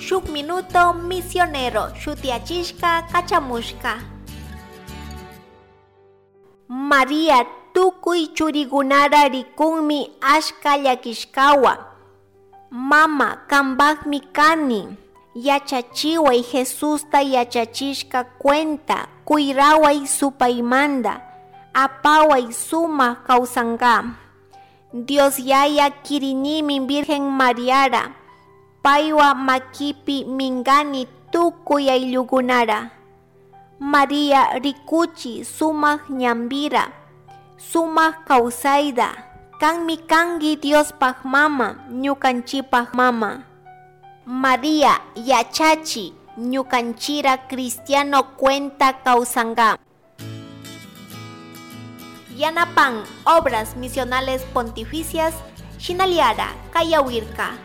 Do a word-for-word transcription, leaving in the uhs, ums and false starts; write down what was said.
Shuk Minuto Misionero shutiyachishka kachamushka. Maria tukuy churigunara rikunmi ashka llakishkawa. Mama kambakmi kani, yachachiway Jesusta yachachishka cuenta, kuyraway supaymanta, apaway sumak kawsanka. Dios Yaya kirinimi Virgen Mariara, paywa makipi minkani tukuy ayllukunara. Maria rikuchi sumak ñanpira, sumak kawsayta, kanmi kanki Diospaj mama, ñukanchikpak mama. Maria yachachi ñukanchira cristiano cuenta kawsanka. Yanapan Obras Misionales Pontificias, Shinaliara, Kayawirka.